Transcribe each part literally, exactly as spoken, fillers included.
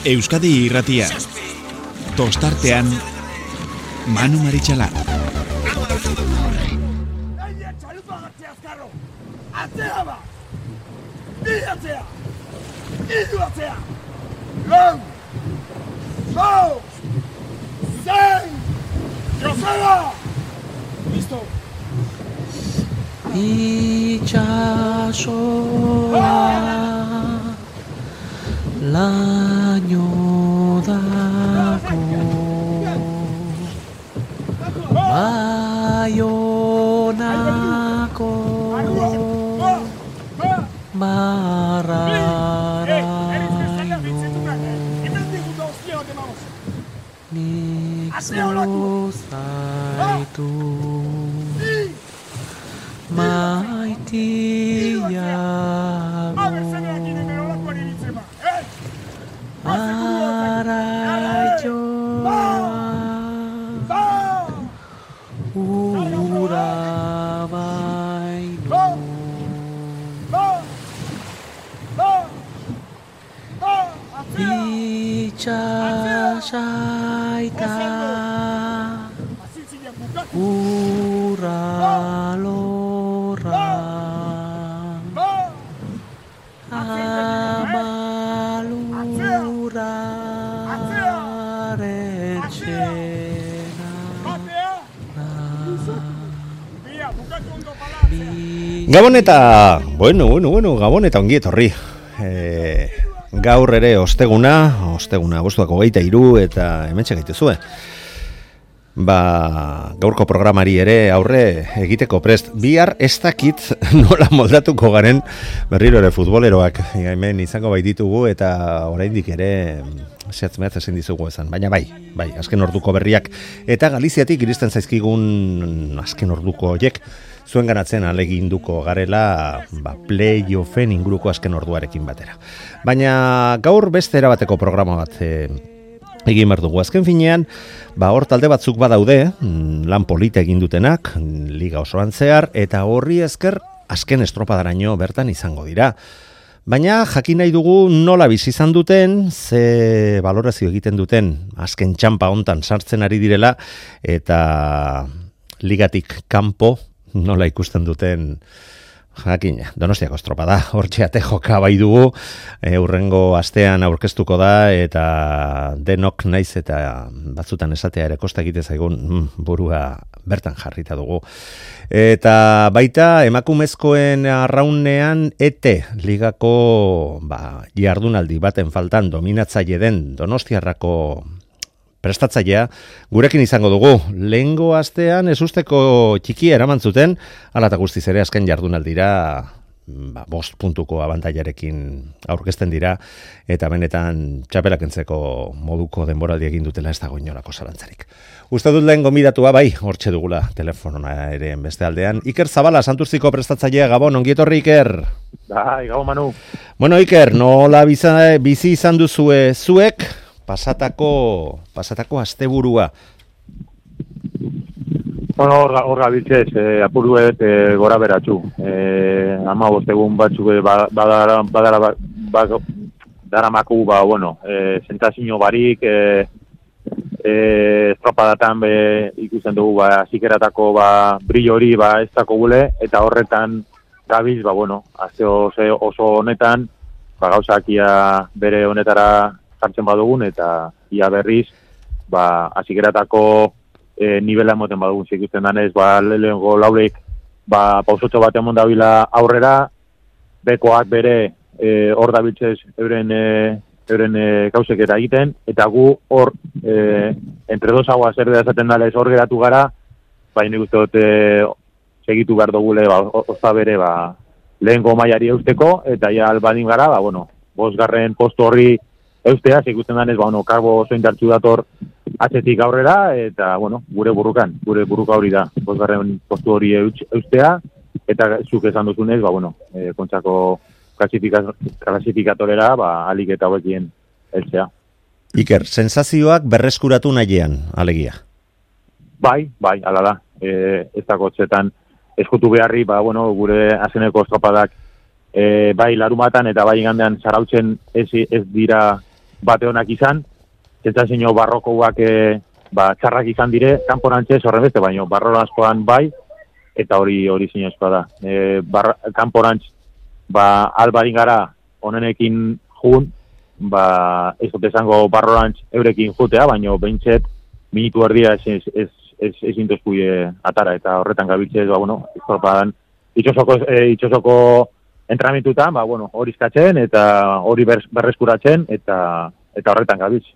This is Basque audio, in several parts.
Euskadi Irratia. Tostartean Manu Maritxalar. Atzea ba! Bi atzea! Iru atzea! Lau! Lau! Zein! Joseba! Listo! Itxasoa laino dago Baionako marraraino nik zozaitu maitiago araioa ura baino itxasaita ura lorra amalura Gabon eta, bueno, bueno, bueno, Gabon eta ongi etorri. E, gaur ere osteguna, osteguna abuztuak hogeita hiru eta hementxe gaituzue. Ba, gaurko programari ere aurre egiteko prest. Bihar ez dakit nola moldatuko garen berriro ere futboleroak hemen izango baititugu eta oraindik ere zehatz mehatz ezin dizugu esan. Baina bai, bai, azken orduko berriak eta Galiziatik iristen zaizkigun azken orduko horiek zuen ganatzen aleginduko garela ba, play-offen inguruko azken orduarekin batera. Baina gaur beste erabateko programa bat e, egin behar dugu. Azken finean, ba, hor talde batzuk badaude, lan polita egin dutenak, liga osoan zehar, eta horri esker azken estropadaraino bertan izango dira. Baina jakin nahi dugu nola bizi izan duten, ze balorazio egiten duten azken txampa hontan sartzen ari direla, eta ligatik kanpo nola ikusten duten jakina, Donostiako estropada, hortxe ate joka bai dugu, e, urrengo astean aurkeztuko da, eta denok naiz eta batzutan esatea ere kosta egite zaigun mm, burua bertan jarrita dugu. Eta baita emakumezkoen arraunean ete ligako ba, jardunaldi baten faltan dominatzaile den Donostiarrako prestatzailea gurekin izango dugu. Lehengo astean ezusteko txikia eraman zuten, hala eta guztiz ere azken jardunaldira ba, bost puntuko abantailarekin aurkezten dira, eta benetan txapelak entzeko moduko denboraldi egin dutela ez dago inolako zalantzarik. Uste dut lehen gomidatua bai, hortxe dugula telefonona ere beste aldean. Iker Zabala, Santurziko prestatzailea, Gabon, ongietorri Iker. Bai, Gabon Manu. Bueno Iker, nola biza, bizi izan duzue zuek, pasatako, pasatako asteburua? Bueno, hor gabiltzez, eh, apuruet eh, gora beratxu. Eh, ama bostegun batzuk badara, badara, badara, daramaku, ba, bueno, eh, sentazio barik, eh, eh, estropadatan be, ikusten dugu, ba, zikeratako, ba, brillo hori, ba, ez dako gule, eta horretan gabiz, ba, bueno, azte oso, oso honetan, ba, gauzakia bere honetara jartzen badugun, eta ia berriz, ba, azikeratako e, nivela emoten badugun, zikusten danez, ba, lehenko laurek, ba, pausotxo bat emon dabila aurrera, bekoak bere e, hor dabiltzez euren, e, euren e, gauzeketa egiten, eta gu hor, e, entre dos aguas zer esaten dalez hor geratu gara, ba, nik uste dut, e, segitu behar dugule, ba, ozta bere, ba, lehenko mailari eusteko, eta ja albadin gara, ba, bueno, bosgarren postu horri eustea, ikusten danez, ba, bueno, karbo oso indartxu dator atzetik aurrera, eta, bueno, gure burrukan, gure burruka hori da, bosgarren postu hori eustea, eta zuk esan duzunez, ba, bueno, e, kontsako klasifikatorera, ba, alik eta hauekien eltzea. Iker, sensazioak berreskuratu nahiean, alegia? Bai, bai, ala da, e, ez da kotxetan eskutu beharri, ba, bueno, gure azeneko estropadak, E, bai larumatan eta bai igandean zarautzen ez, ez dira bate honak izan, sentsazio barrokoak e, ba, txarrak izan dire, kanporantxe horren beste, baino barrorazkoan bai, eta hori hori zinezkoa da. E, bar, kanporantz, ba, albarin gara onenekin jun, ba, ez dut esango barrorantz eurekin jutea, baino behintzet, minutu erdia ez, ez, ez, ez, ez intozku atara, eta horretan gabiltzez, ba, bueno, estropadan, itxosoko, e, itxosoko entrenamentutan, ba, bueno, hori eskatzen, eta hori ber, berreskuratzen, eta eta horretan gabiltz.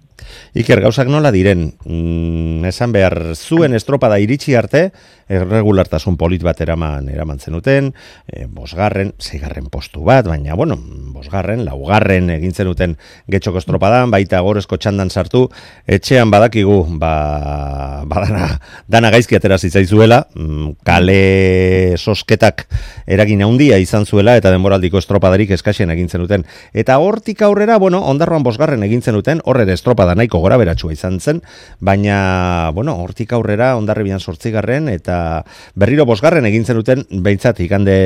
Iker, gauzak nola diren, mm, esan behar zuen estropada iritsi arte, erregulartasun polit bat eraman, eraman zenuten, e, bosgarren, zeigarren postu bat, baina, bueno, bosgarren, laugarren egin zenuten getxoko estropadan, baita gorezko txandan sartu, etxean badakigu, ba, badana, dana gaizki atera zitzaizuela, kale sosketak eragin handia izan zuela, eta denboraldiko estropadarik eskaxen egin zenuten. Eta hortik aurrera, bueno, Ondarroan bosgarren egin zenuten, horre estropada nahiko gora beratsua izan zen, baina, bueno, hortik aurrera Hondarribian zortzigarren eta berriro bosgarren egin zenuten behintzat igande,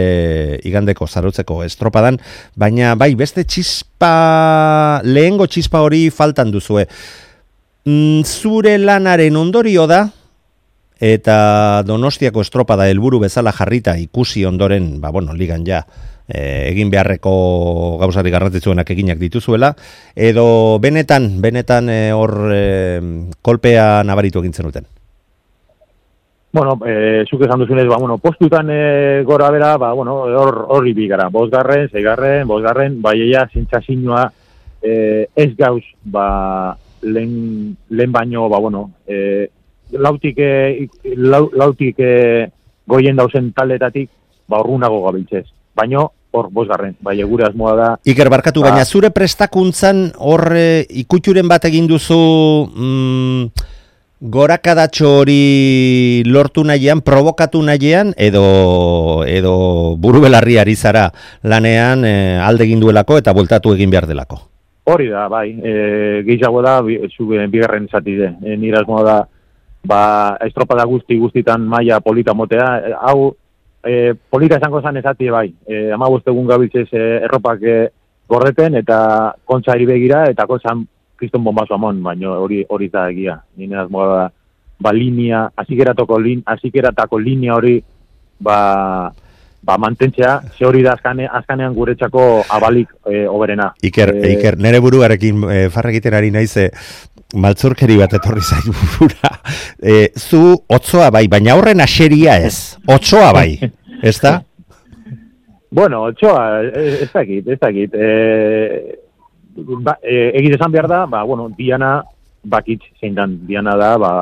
igandeko zarutzeko estropadan, baina bai, beste txispa, lehengo txispa hori faltan duzue. Mm, zure lanaren ondorio da, eta Donostiako estropada helburu bezala jarrita ikusi ondoren, ba, bueno, ligan ja, egin beharreko gauzari garrantzitsuenak eginak dituzuela, edo benetan, benetan hor e, kolpea nabaritu egin zenuten? Bueno, e, zuk esan duzunez, ba, bueno, postutan e, gora bera, ba, bueno, hor horri bigara, bosgarren, zeigarren, bosgarren, bai eia, zintzazinoa e, ez gauz, ba, lehen, lehen baino, ba, bueno, e, lautik, e, lau, lautik e, goien dauzen taldetatik, ba, horrunago gabiltzez. Baino, hor, bosgarren, bai, gure asmoa da. Iker, barkatu, ba, baina zure prestakuntzan hor e, ikuturen bat egin duzu mm, gorakadatxo hori lortu nahian, provokatu nahian, edo, edo buru belarri ari zara lanean e, alde egin duelako eta bueltatu egin behar delako? Hori da, bai, e, gehiago da, bi, bigarren zati de, e, nire asmoa da, ba, estropada guzti guztitan maila polita motea, e, hau, E, polita esango zan ezati bai, e, ama egun gabiltzez e, erropak e, gorreten eta kontza eri begira eta kontzan kriston bombazo amon, baina hori hori da egia. Nine azmoa da, ba linea, azikeratako lin, azikeratako linea hori ba, ba mantentzea, ze hori da azkane, azkanean guretzako abalik e, oberena. Iker, e, Iker, nere buruarekin e, farrekiten ari naize, maltzurkeri bat etorri zait burura. E, zu otzoa bai, baina horren aseria ez. Otzoa bai, ez da? Bueno, otzoa, ez dakit, ez dakit. E, ba, e, egit esan behar da, ba, bueno, Diana bakitz zein dan. Diana da, ba,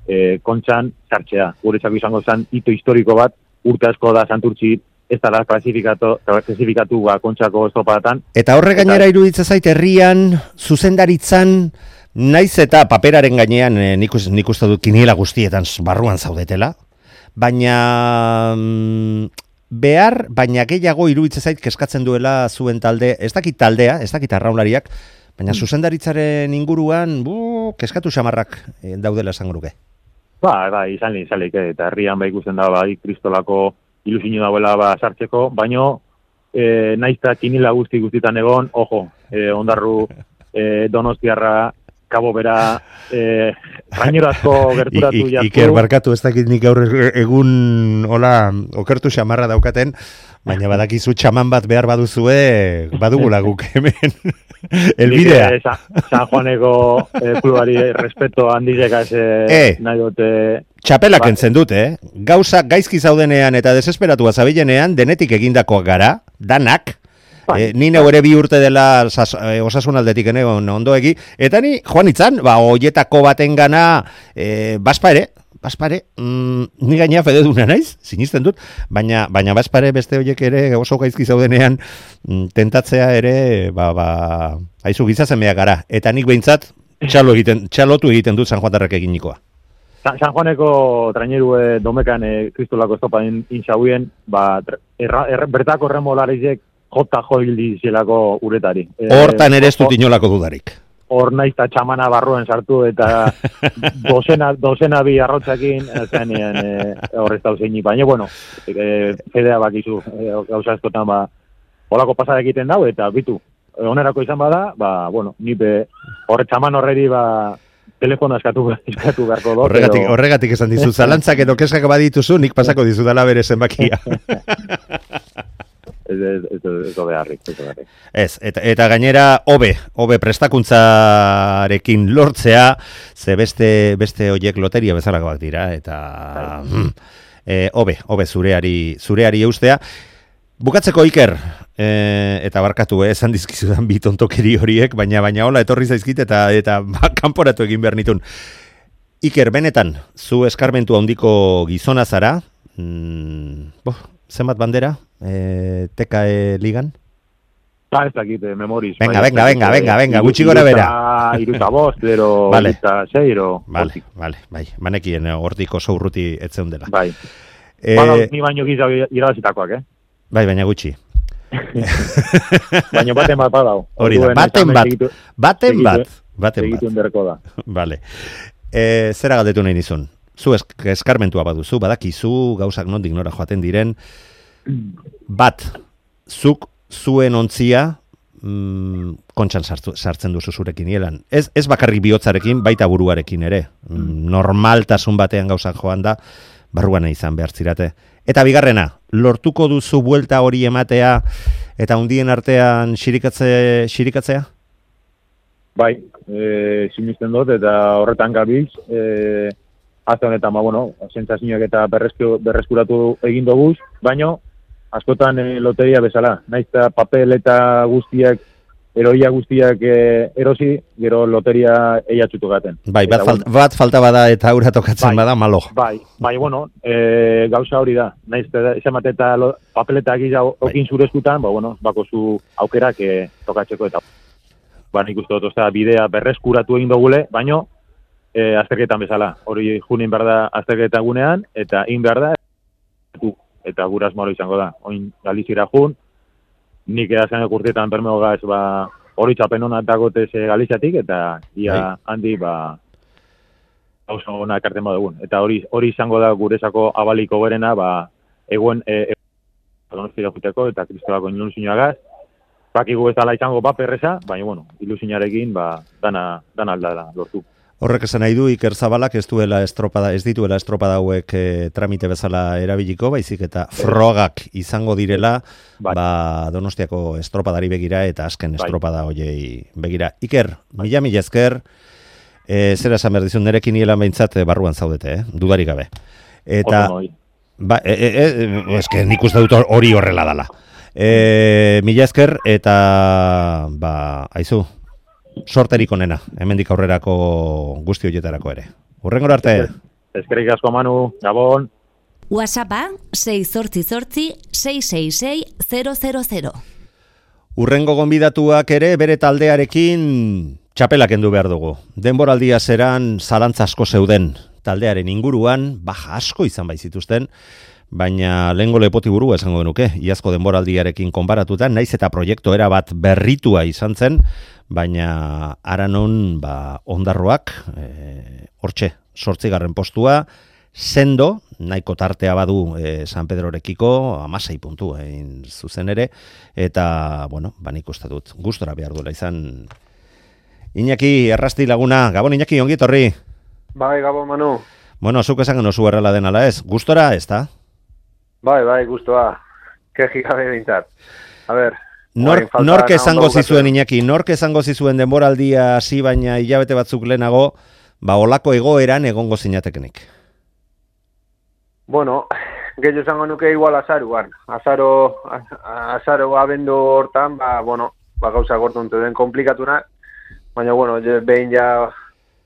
e, kontxan sartzea. Guretzako izango zen hito historiko bat, urte asko da Santurtzi ez da klasifikatu, klasifikatu ba, kontxako estropadatan. Eta horre gainera iruditza zait herrian, zuzendaritzan, naiz eta paperaren gainean eh, nik, nik uste dut kiniela guztietan barruan zaudetela, baina mm, behar, baina gehiago iruditzen zait keskatzen duela zuen talde, ez dakit taldea, ez dakit arraunlariak, baina mm. zuzendaritzaren inguruan, bu, keskatu xamarrak eh, daudela esan guruke. Ba, ba, izan lehen, izan lehen, eta herrian ba ikusten da, ba, kristolako ilusio dauela ba, sartzeko, baino, eh, naiz eta kiniela guzti guztietan egon, ojo, eh, Ondarru, eh, Donostiarra, Kabo bera, eh, rainerazko gerturatu jatzu. Iker, barkatu, ez dakit nik gaur egun, hola, okertu xamarra daukaten, baina badakizu txaman bat behar baduzue, badugula guk hemen. Elbidea. Eh, San Juaneko eh, klubari respeto handizeka ez eh, nahi dute. Txapelak ba, entzen dute, eh? Gauza gaizki zaudenean eta desesperatua zabilenean, denetik egindakoak gara, danak, Eh, ni neu ere bi urte dela sas, eh, osasun aldetik ene ondoegi, eta ni joan itzan, ba, oietako baten gana, eh, baspare, baspare, mm, ni gaina fededuna naiz, sinisten dut, baina, baina baspare beste hoiek ere oso gaizki zaudenean, mm, tentatzea ere, ba, ba, haizu gizazen beha gara, eta nik behintzat, txalo egiten, txalotu egiten dut San Juantarrak eginikoa. San, San Juaneko traineru e, domekan e, kristolako estopa inxauien, ba, erra, erra, bertako remolarizek, jota joildi zelako uretari. Hortan ere ez dut inolako dudarik. Hor naiz eta txamana barruen sartu eta dozena, dozena bi arrotzakin zenean e, horrez dauzeinik. Baina, bueno, e, fedea bakizu, e, gauza eskotan ba, holako pasada egiten dau eta bitu. onerako izan bada, ba, bueno, nipe horre txaman horreri, ba, telefono eskatu, eskatu beharko do. Horregatik, pero... horregatik esan dizu, zalantzak edo keskak badituzu, nik pasako dizudala bere zenbakia. Ez, ez, ez, ez beharrik, ez beharrik. Ez, eta, eta gainera, hobe, hobe prestakuntzarekin lortzea, ze beste, beste oiek loteria bezalakoak dira, eta mm, e, hobe, hobe zureari, zureari eustea. Bukatzeko Iker, e, eta barkatu, eh, esan dizkizudan bi tontokeri horiek, baina baina hola etorri zaizkit eta eta ba, kanporatu egin behar nitun. Iker, benetan, zu eskarmentu handiko gizona zara, mm, boh, zenbat bandera, e, T K E ligan? Ba, ez dakit, memoriz. Venga, venga, venga, venga, venga, gutxi gora bera. Iruta bost, ero, vale. Iruta zeiro. Vale, vale, bai, manekien hortik oso urruti etzeun dela. Bai. E, Bada, ni baino giza irabazitakoak, eh? Bai, baina gutxi. Baina baten bat badau. Hori da, baten bat, baten bat, baten bat. Segituen berko da. Vale. E, zera galdetu nahi nizun? Zu esk eskarmentua baduzu, badakizu, gauzak nondik nora joaten diren, bat, zuk zuen ontzia mm, kontxan sartu, sartzen duzu zurekin nielan. Ez, ez bakarrik bihotzarekin, baita buruarekin ere. Mm, normaltasun batean gauzak joan da, barruan izan behar zirate. Eta bigarrena, lortuko duzu buelta hori ematea eta hundien artean xirikatze, xirikatzea? Bai, e, sinisten dut eta horretan gabiltz, e, azte honetan, ba, bueno, sentsazioak eta berreskuratu egin doguz, baino, askotan e, loteria bezala, naiz eta papel eta guztiak, eroia guztiak e, erosi, gero loteria eiatzutu gaten. Bai, bat, eta, falt, bueno, bat falta bada eta aurra tokatzen bai, bada, malo. Bai, bai, bueno, e, gauza hori da, naiz eta eta papeletak gisa okin bai. Zure eskutan, ba, bueno, bako zu aukerak e, tokatzeko eta ba, nik uste dut, ozta, bidea berreskuratu egin dugule, baino, e, azterketan bezala. Hori junin behar da azterketa gunean, eta in behar da, eta guraz moro izango da. Oin Galizira jun, nik edazan ekurtietan bermeo gaz, ba, hori txapen hona dagotez Galiziatik, eta ia bai. Handi, ba, oso hona ekarten badugun. Eta hori hori izango da gurezako abaliko berena, ba, eguen, e, e, donostia juteko, eta kristolako ilusioagaz, bakigu ez dala izango paperreza, baina, bueno, ilusionarekin, ba, dana, dana aldala lortu. Horrek esan nahi du, Iker Zabalak ez duela estropada, ez dituela estropada hauek e, tramite bezala erabiliko, baizik eta frogak izango direla, bai. Ba, Donostiako estropadari begira eta azken bai. Estropada hoiei begira. Iker, bai. mila mila ezker, e, zera esan behar dizun, nerekin nielan behintzat barruan zaudete, eh? Dudarik gabe. Eta, ba, e, e, e, eske nik uste dut hori horrela dala. E, mila ezker eta, ba, aizu, sorterik onena, hemendik aurrerako guzti horietarako ere. Hurrengora arte. Eskerrik asko Manu, Gabon. WhatsAppa sei zortzi zortzi sei sei sei zero zero zero. Hurrengo gonbidatuak ere bere taldearekin txapelak kendu behar dugu. Denboraldia zeran zalantza asko zeuden taldearen inguruan, baja asko izan baizituzten, baina lehengo lepoti burua esango genuke, iazko denboraldiarekin konparatuta, naiz eta proiektu era bat berritua izan zen, baina aranon ba, ondarroak, e, hortxe, sortzigarren postua, sendo, nahiko tartea badu e, San Pedrorekiko, amasei puntu egin zuzen ere, eta, bueno, banik uste dut, gustora behar duela izan. Iñaki, errasti laguna, Gabon Iñaki, ongi etorri. Bai, Gabon Manu. Bueno, zuk esan geno zu errela denala ez, gustora ez da? Bai, bai, gustoa. Keji gabe bintzat. A ber, Nork, nork esango zizuen Iñaki, nork esango zizuen denboraldia hasi baina hilabete batzuk lehenago, ba olako egoeran egongo zinatekenik. Bueno, gehiago esango nuke igual azaruan. Azaro, azaro abendu hortan, ba, bueno, ba gauza gortuntu den komplikatuna, baina, bueno, behin ja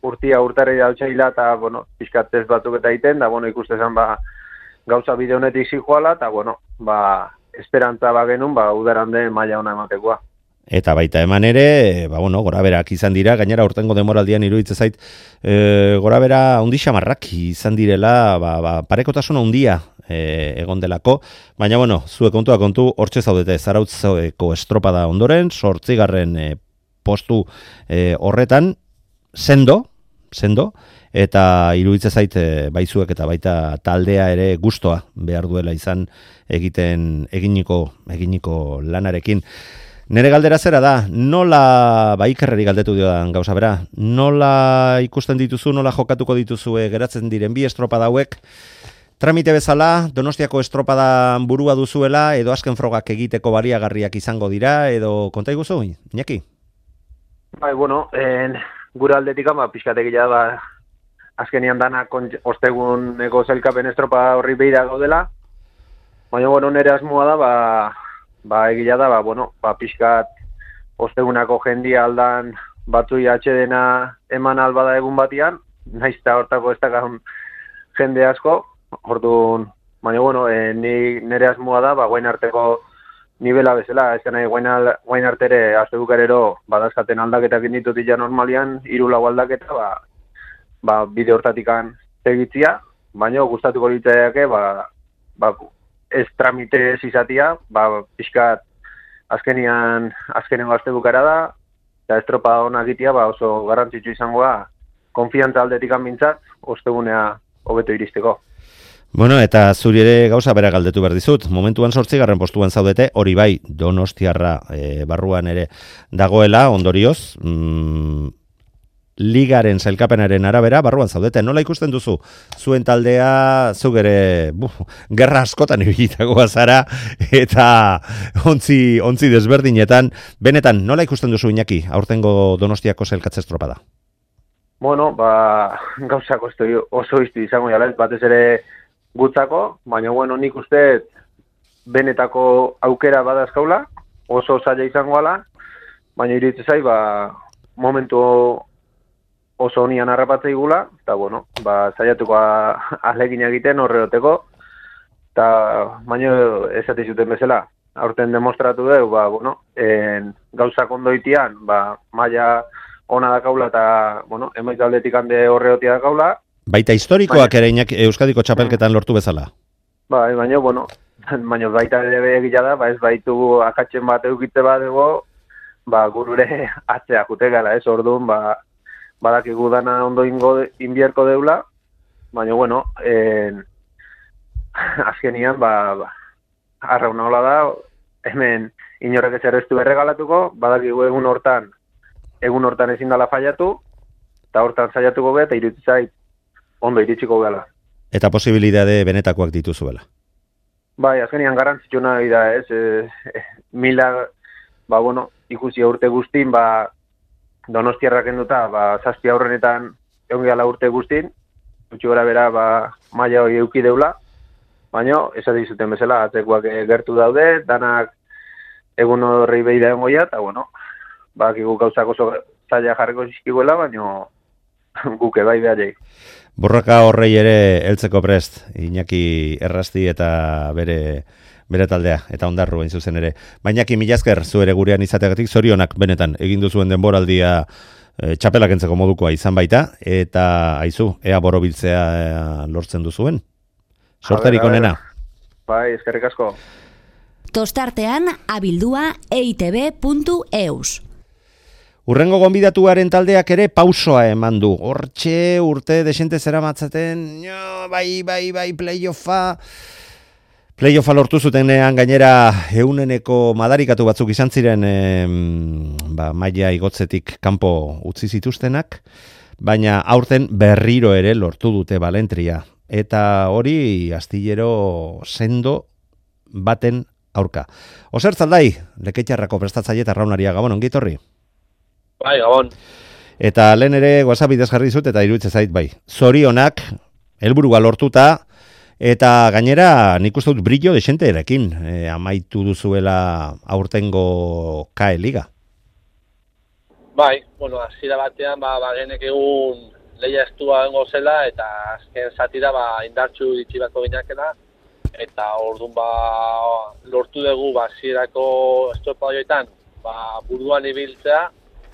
urtia urtarri dautxaila, eta, bueno, pixkatzez batzuk eta iten, da, bueno, ikustezan, ba, gauza bide honetik zijoala, eta, bueno, ba, esperantza ba genuen, ba, udaran den maila ona ematekoa. Eta baita eman ere, ba, bueno, goraberak izan dira, gainera urtengo demoraldian iruditzen zait, e, gorabera handi xamarrak izan direla, ba, ba, parekotasuna handia e, egon delako, baina, bueno, zuek kontua kontu, hortxe zaudete, Zarautzeko estropada ondoren, sortzigarren e, postu e, horretan, sendo, sendo, eta iruditzen zait baizuek eta baita taldea ere gustoa behar duela izan egiten eginiko eginiko lanarekin. Nere galdera zera da, nola, ba Ikerreri galdetu diodan gauza bera, nola ikusten dituzu, nola jokatuko dituzue geratzen diren bi estropada hauek, tramite bezala, Donostiako estropadan burua duzuela, edo azken frogak egiteko baliagarriak izango dira, edo konta iguzu, Iñaki? Bai, bueno, en, gure aldetik ama, pixkategia ba, azkenian dana osteguneko zelkapen estropa horri behira gaudela, baina, bueno, nire asmoa da, ba, ba egila da, ba, bueno, ba, pixkat ostegunako jendia aldan batzui atxedena eman albada egun batian, naizta hortako ez dakon jende asko, orduan, baina, bueno, e, ni, nire asmoa da, ba, guain arteko nivela bezala, ez nahi guain, al, guain artere astebukarero badazkaten aldaketak inditutik ja normalian, hiru lau aldaketa, ba, ba, bide hortatikan segitzia, baina gustatuko litzaiake, ba, ba, ez tramite ez izatia, ba, pixkat azkenian, azkenengo astebukara da, eta estropa hona egitea, ba, oso garrantzitsu izangoa, konfiantza aldetik mintzat, ostegunea hobeto iristeko. Bueno, eta zuri ere gauza bera galdetu behar dizut. Momentuan zortzigarren postuan zaudete, hori bai, Donostiarra e, barruan ere dagoela, ondorioz, mm, ligaren sailkapenaren arabera, barruan zaudete. Nola ikusten duzu? Zuen taldea, zuk ere, buf, gerra askotan ibilitagoa zara, eta ontzi, ontzi desberdinetan. Benetan, nola ikusten duzu, Iñaki, aurtengo Donostiako sailkatze estropada? Bueno, ba, gauzako oso izti izango jala, batez ere gutzako, baina bueno, nik uste benetako aukera badazkaula, oso zaila izango ala, baina iritze zai, ba, momentu oso honian harrapatzei gula, eta bueno, ba, zaiatuko alegin egiten horreoteko, eta baina esate zuten bezala, aurten demostratu dugu, ba, bueno, en, gauzak ondoitian, ba, maila ona dakaula eta, bueno, emaiz aldetik hande horreotia dakaula. Baita historikoak ere Iñaki Euskadiko txapelketan lortu bezala. Bai, baina, bueno, baina baita ere egila da, ba ez baitu akatzen bat eukitze bat ego, ba gurure atzea jute gara, ez orduan, ba, badakigu dana ondo ingo inbierko deula, baina, bueno, en, azkenian, ba, ba arrauna hola da, hemen inorrek ez errestu berregalatuko, badakigu egun hortan, egun hortan ezin dala fallatu, eta hortan saiatuko be, eta iruditzen zait, ondo iritsiko gala. Eta posibilidade benetakoak dituzuela. Bai, azkenian garrantzitsu nahi da, ez, e, mila, ba, bueno, ikusi urte guztin, ba, Donostiarrak enduta, ba, zazpi aurrenetan egon gala urte guztin, gutxi gora bera, ba, maila hori euki deula, baina, esate izuten bezala, atzekoak gertu daude, danak egun horrei behi da engoia, eta, bueno, ba, kigu gauzak oso zaila jarriko zizkiguela, baina guke bai behar. Borroka horrei ere heltzeko prest, Iñaki Errasti eta bere bere taldea, eta ondarru hain zuzen ere. Bainaki milazker, zu ere gurean izateagatik, zorionak benetan, egin duzuen denboraldia e, txapelak entzeko modukoa izan baita, eta aizu, ea borobiltzea e, lortzen duzuen. Sorterik onena. Bai, eskerrik asko. Tostartean, abildua e i te be puntu e u s. Urrengo gonbidatuaren taldeak ere pausoa eman du. Hortxe urte desente zera matzaten, no, bai, bai, bai, playoffa. Playoffa lortu zutenean gainera euneneko madarikatu batzuk izan ziren e, ba, maila igotzetik kanpo utzi zituztenak, baina aurten berriro ere lortu dute Balentria. Eta hori astillero sendo baten aurka. Oser Zaldai, Lekeitzarrako prestatzaile eta Raunaria, Gabon, ongi etorri? Bai, Gabon. Eta lehen ere WhatsApp bidez jarri dizut eta iruditzen zait bai. Zorionak helburua lortuta eta gainera nik uste dut brillo desente erekin e, amaitu duzuela aurtengo K E Liga. Bai, bueno, hasiera batean ba bagenek egun leia estua dengo zela eta azken zatira ba indartsu ditzi batko ginakela eta ordun ba lortu dugu ba hasierako estropa horietan ba buruan ibiltzea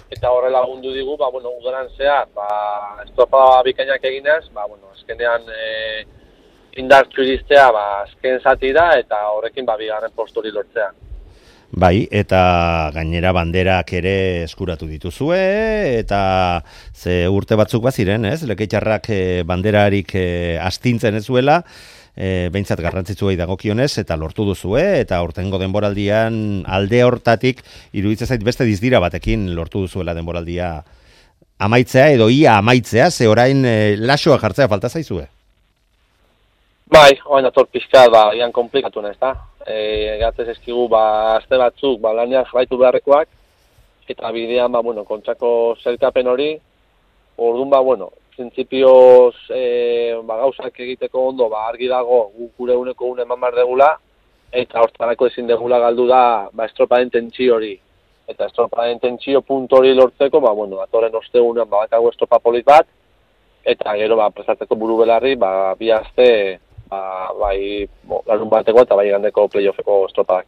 eta horrela lagundu digu, ba, bueno, udaran zehar, ba, estropa bikainak eginez, ba, bueno, azkenean e, indartsu iristea, ba, azken zatira, eta horrekin, ba, bigarren posturi lortzea. Bai, eta gainera banderak ere eskuratu dituzue, eta ze urte batzuk baziren, ez? Lekeitzarrak e, banderarik e, astintzen ez zuela, e, behintzat garrantzitsuei dagokionez, eta lortu duzue, eta aurtengo denboraldian alde hortatik, iruditzen zait beste dizdira batekin lortu duzuela denboraldia amaitzea, edo ia amaitzea, ze orain e, lasoa jartzea falta zaizue? Bai, oain ator pixka, ba, ian komplikatu ez da. E, Gatzez eskigu, ba, azte batzuk, ba, lanean jarraitu beharrekoak, eta bidean, ba, bueno, kontxako zelkapen hori, orduan, ba, bueno, printzipioz, e, ba, gauzak egiteko ondo, ba, argi dago, guk gure uneko une eman behar degula, eta hortarako ezin degula galdu da, ba, estropaden tentsio hori. Eta estropaden tentsio puntu hori lortzeko, ba, bueno, atoren ostegunean, ba, bakago estropa polit bat, eta gero, ba, prestatzeko buru belarri, ba, bi aste, ba, bai, bo, larun bateko eta bai gandeko playoffeko estropadak.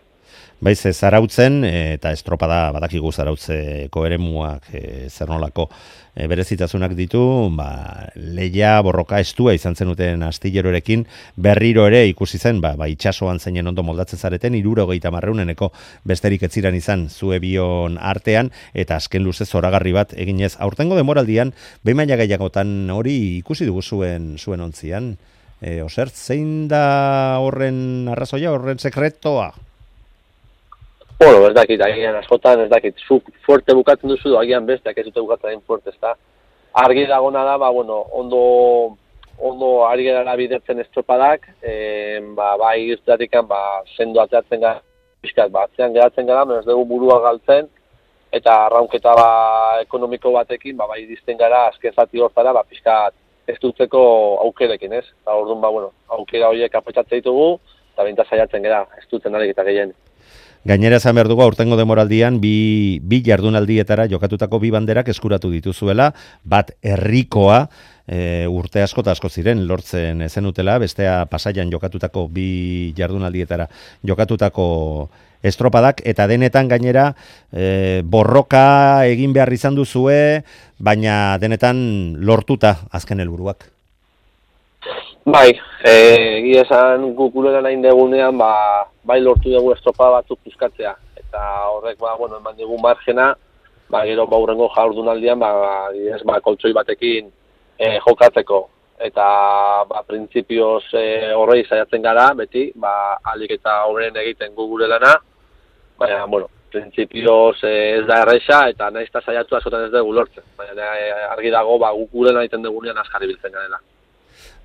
Baiz, zarautzen, eta estropada badakigu zarautzeko eremuak e, zer nolako e, berezitasunak ditu, ba, leia borroka estua izan zenuten astillerorekin, berriro ere ikusi zen, ba, ba itxasoan zeinen ondo moldatzen zareten, hirurogeita marreuneneko besterik etziran izan zue bion artean, eta azken luze zoragarri bat eginez. Aurtengo demoraldian, behin maila gehiagotan hori ikusi dugu zuen, zuen ontzian. E, Osert, zein da horren arrazoia, horren sekretoa? Bueno, ez dakit, agian askotan, ez dakit, zuk fuerte bukatzen duzu, agian besteak ez dute bukatzen egin fuerte, ez da. Argi dagona da, ba, bueno, ondo, ondo ari gerara bidertzen estropadak, e, ba, bai irtetikan, ba, sendo ateratzen gara, pixkat, ba, atzean geratzen gara, menez dugu burua galtzen, eta arraunketa, ba, ekonomiko batekin, ba, bai dizten gara, azken zati hortara, ba, pixkat, ez dutzeko aukerekin, ez? Eta orduan, ba, bueno, aukera horiek apetxatzen ditugu, eta binta saiatzen gara, ez dutzen arik eta gehien. Gainera esan behar dugu, aurtengo demoraldian, bi, bi jardunaldietara jokatutako bi banderak eskuratu dituzuela, bat herrikoa, e, urte asko eta asko ziren lortzen zenutela, bestea Pasaian jokatutako bi jardunaldietara jokatutako estropadak, eta denetan gainera e, borroka egin behar izan duzue, baina denetan lortuta azken helburuak. Bai, egia esan guk gurean hain degunean, ba, bai lortu dugu estropa batzuk puzkatzea, eta horrek, ba, bueno, eman dugu margena, ba, gero ba, hurrengo jardunaldian, ba, ez, ba, koltsoi batekin e, jokatzeko. Eta, ba, printzipioz e, horrei saiatzen gara, beti, ba, alik eta horren egiten gu gure lana, baina, bueno, printzipioz e, ez da erresa, eta nahiz eta saiatu askotan ez dugu lortzen. Baina, e, argi dago, ba, guk gure lan egiten dugunean azkarri biltzen garela.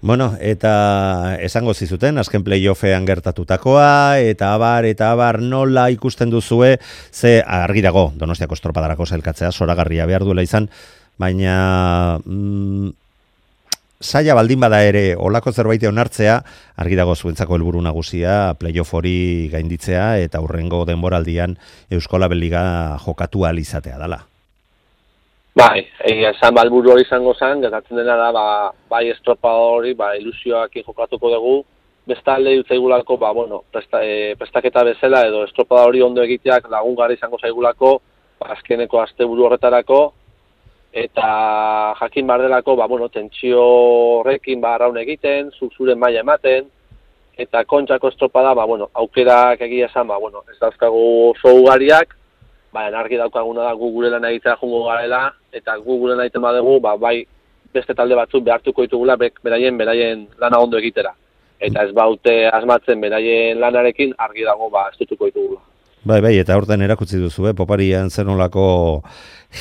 Bueno, eta esango zizuten, azken playoffean gertatutakoa, eta abar, eta abar nola ikusten duzue, ze argi dago, Donostiako estropadarako sailkatzea, zoragarria behar duela izan, baina mm, saia baldin bada ere olako zerbait onartzea, argi dago zuentzako helburu nagusia, playoff hori gainditzea, eta hurrengo denboraldian Euskolabel Liga jokatu ahal izatea dela. Bai, egia esan balburu hori izango zen, gertatzen dena da, ba, bai estropa hori, ba, ilusioak jokatuko dugu, bestalde dut zaigulako, ba, bueno, presta, e, prestaketa bezala edo estropa hori ondo egiteak lagungarri izango zaigulako, ba, azkeneko asteburu horretarako, eta jakin bardelako, ba, bueno, tentsio horrekin, ba, arraun egiten, zure maila ematen, eta kontxako estropa da, ba, bueno, aukerak egia esan, ba, bueno, ez dauzkagu oso ugariak, baina argi daukaguna da gu gure lan egitea jungo garela, eta gu gure lan egiten badugu, ba, bai beste talde batzuk behartuko ditugula beraien beraien lana ondo egitera. Eta ez baute asmatzen beraien lanarekin argi dago ba estutuko ditugula. Bai, bai, eta horten erakutsi duzu, eh? Poparian zenolako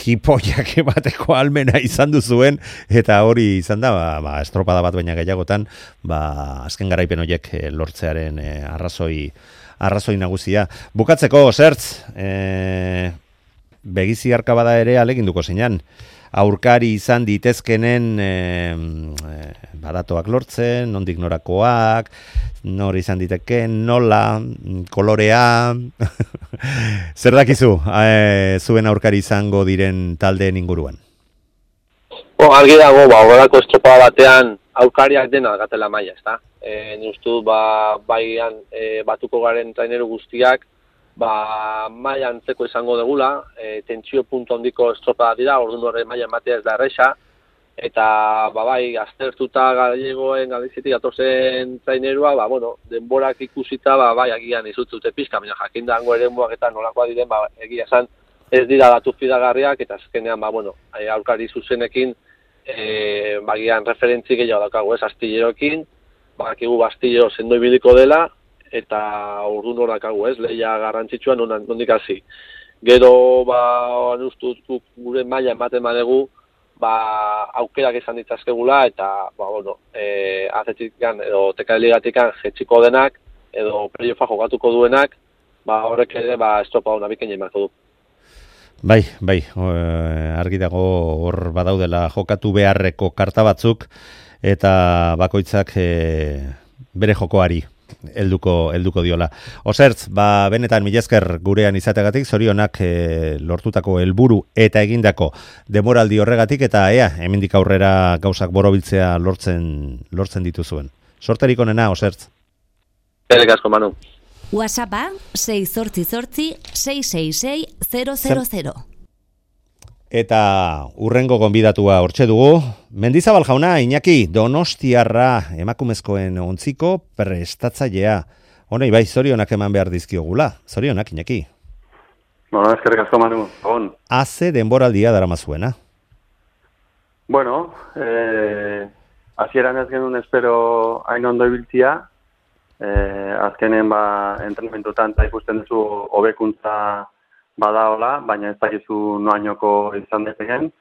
hipoiak bateko almena izan duzuen, eta hori izan da, ba, ba, estropada bat baina gehiagotan, ba, azken garaipen horiek lortzearen eh, arrazoi arrazoi nagusia. Bukatzeko, Zertz, e, begizi arkabada ere aleginduko zeinan. Aurkari izan ditezkenen e, e, badatoak lortzen, nondik norakoak, nor izan diteken, nola, kolorea, zer dakizu e, zuen aurkari izango diren taldeen inguruan? Bo, argi dago, ba, horrelako estropada batean aurkariak dena gatela maila, ezta? E, ni uste dut, ba, baian e, batuko garen traineru guztiak, ba, maila antzeko izango degula, e, tentsio puntu handiko estropada dira, orduan horre maila ematea ez da erresa, eta, ba, bai, aztertuta galegoen galizitik atozen trainerua, ba, bueno, denborak ikusita, ba, bai, agian izutzute pizka, baina jakin dango ere muak eta nolakoa diren, ba, egia esan, ez dira datu fidagarriak, eta azkenean, ba, bueno, aurkari zuzenekin, e, bagian referentzi gehiago daukagu ez, astilleroekin, badakigu Bastillo sendo ibiliko dela, eta ordu norak hau, ez, lehia garrantzitsua nondik hasi. Gero, ba, nustut gure maila ematen badegu, ba, aukerak izan ditzazkegula, eta, ba, bueno, e, azetikan, edo tekaligatikan jetxiko denak, edo playoffa jokatuko duenak, ba, horrek ere, ba, estropa hona bikain emako du. Bai, bai, argi dago hor badaudela jokatu beharreko karta batzuk, eta bakoitzak e, bere jokoari helduko helduko diola. Osertz, ba, benetan mila esker gurean izategatik, zorionak e, lortutako helburu eta egindako demoraldi horregatik, eta ea, hemendik aurrera gauzak borobiltzea lortzen lortzen dituzuen. Sorterik onena, Osertz. Eskerrik asko, Manu. WhatsAppa sei zortzi zortzi sei sei sei zero zero zero. Eta urrengo gonbidatua hortxe dugu. Mendizabal jauna, Iñaki, Donostiarra emakumezkoen ontziko prestatzailea. Honei, bai, zorionak eman behar dizkiogula. Zorionak, Iñaki. Bueno, eskerrik asko, Manu. On. Haze denboraldia daramazuena. Bueno, eh, hasieran ez genuen espero hain ondo ibiltzia. Eh, azkenen ba entrenamentutan ta ikusten duzu hobekuntza badaola, baina ez dakizu noainoko izan daiteken.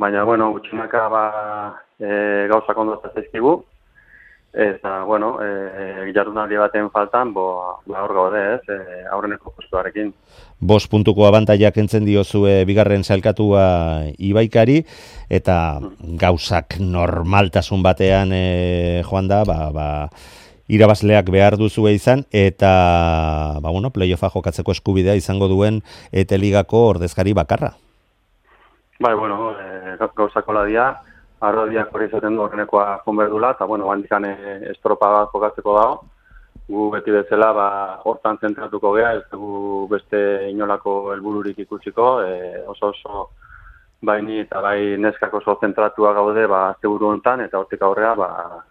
Baina bueno, gutxinaka ba e, gauzak ondo zaizkigu. Eta bueno, eh jardunaldi baten faltan, bo ba hor gaude, ez? E, aurreneko postuarekin. Bost puntuko abantaila kentzen diozue bigarren sailkatua Ibaikari, eta gauzak normaltasun batean e, joan da, ba ba irabazleak behar duzue izan, eta ba, bueno, playoffa jokatzeko eskubidea izango duen Eteligako ordezkari bakarra. Bai, bueno, e, gauzako ladia, arrodiak hori izaten du horrenekoa konberdula, eta bueno, bandikan e, estropa bat jokatzeko dago. Gu beti bezala ba, hortan zentratuko gea, ez dugu beste inolako helbururik ikusiko, e, oso oso baini eta bai neskak oso zentratua gaude ba asteburu hontan, eta hortik aurrea ba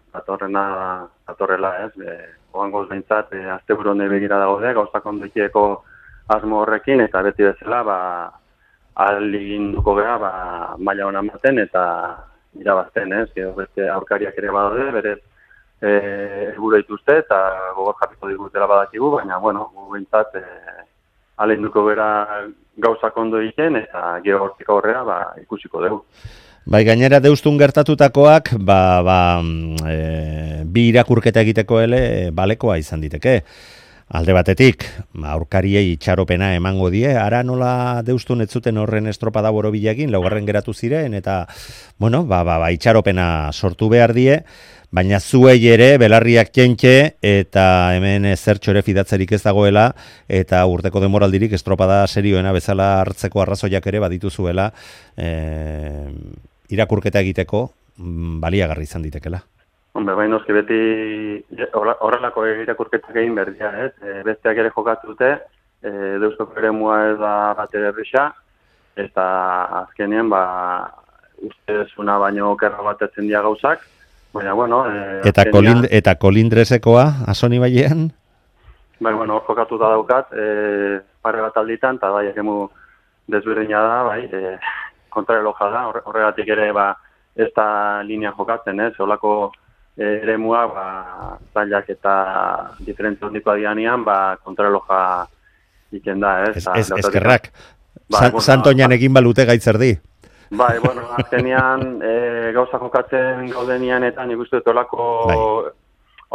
datorrena datorrela, ez? E, oangoz behintzat e, asteburu honde begira daude, gauzak ondoikieko asmo horrekin, eta beti bezala ba ahaleginduko gea ba maila ona ematen eta irabazten, ez? Gero beste aurkariak ere badaude, berez eh helburu dituzte eta gogor jarriko digutela badakigu, baina bueno, gu behintzat e, ahaleginduko gera gauzak ondo egiten, eta gero hortik aurrera ba ikusiko dugu. Bai, gainera deustun gertatutakoak, ba, ba, e, bi irakurketa egiteko ele balekoa izan diteke. Alde batetik, aurkariei itxaropena emango die, ara nola deustun ez zuten horren estropada borobilagin, laugarren geratu ziren, eta, bueno, ba, ba, ba, itxaropena sortu behar die, baina zuei ere, belarriak txentxe, eta hemen zertxo ere fidatzerik ez dagoela, eta urteko demoraldirik estropada serioena bezala hartzeko arrazoiak ere baditu zuela, e, irakurketa egiteko baliagarri izan ditekela. Hombre, baina noski beti horrelako irakurketak egin berdia, ez? E, besteak ere jokatute, e, Deustuko eremua ez da bat ere erresa, eta azkenean, ba, ustezuna baino okerra batetzen dia gauzak, baina, bueno... E, eta, azkenean, kolind, eta kolindresekoa, Asoni Bailean? Bai, bueno, hor jokatuta daukat, e, pare bat alditan, eta bai, eremu desberdina da, bai, e, kontrareloja da, horregatik ere, ba, ez da linea jokatzen, ez? Olako eremua, ba, zailak eta diferentzia hondikoa dianean, ba, kontrareloja iken da, ez? Ez, ez, eskerrak. Ba, San, bueno, Santoñan egin balute gaitzerdi. Bai, bueno, azkenean e, gauza jokatzen gaudenian eta nik uste dut olako, bai.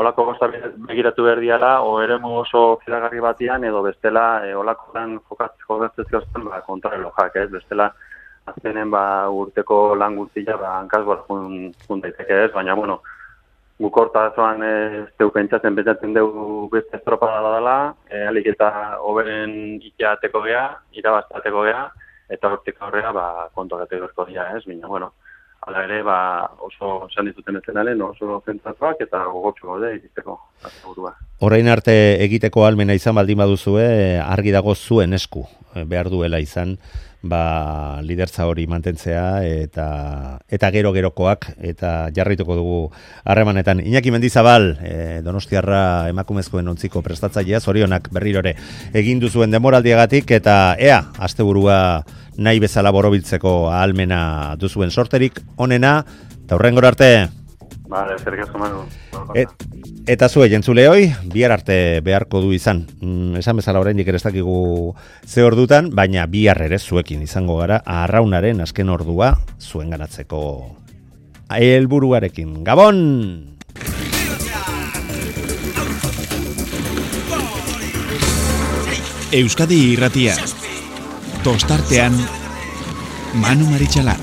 olako gauza begiratu behar diala, o eremu oso fidagarri batian, edo bestela e, olakoan jokatzez gauzten ba, kontrarelojak, ez? Bestela azkenen ba, urteko lan guztia ba, hankazgoa jun, jun daiteke, ez? Baina, bueno, guk hortazoan ez deu pentsatzen, pentsatzen deu beste estropada dela, e, alik eta hoberen ikeateko gea, irabaztateko gea, eta hortik aurrera ba, kontuagatek gorko dira, ez? Baina, bueno, ala ere ba, oso esan dituten ezenalen, oso zentratuak eta gogotxo gaude egiteko burua. Orain arte egiteko almena izan baldin baduzue, argi dago zuen esku behar duela izan, ba, lidertza hori mantentzea eta eta gero-gerokoak eta jarraituko dugu harremanetan. Iñaki Mendizabal, e, Donostiarra emakumezkoen ontziko prestatzailea, zorionak berrirore egin duzuen demoraldiagatik, eta ea, asteburua nahi bezala borobiltzeko ahalmena duzuen sorterik onena, eta hurrengora arte. Vale, eskerrik asko Manu. Et, eta zue, jentzuleoi, bihar arte beharko du izan. Mm, esan bezala oraindik ere ez dakigu ze ordutan, baina bihar ere zuekin izango gara arraunaren azken ordua zuen ganatzeko helburuarekin. Gabon! Euskadi Irratia. Tostartean Manu Marichalar.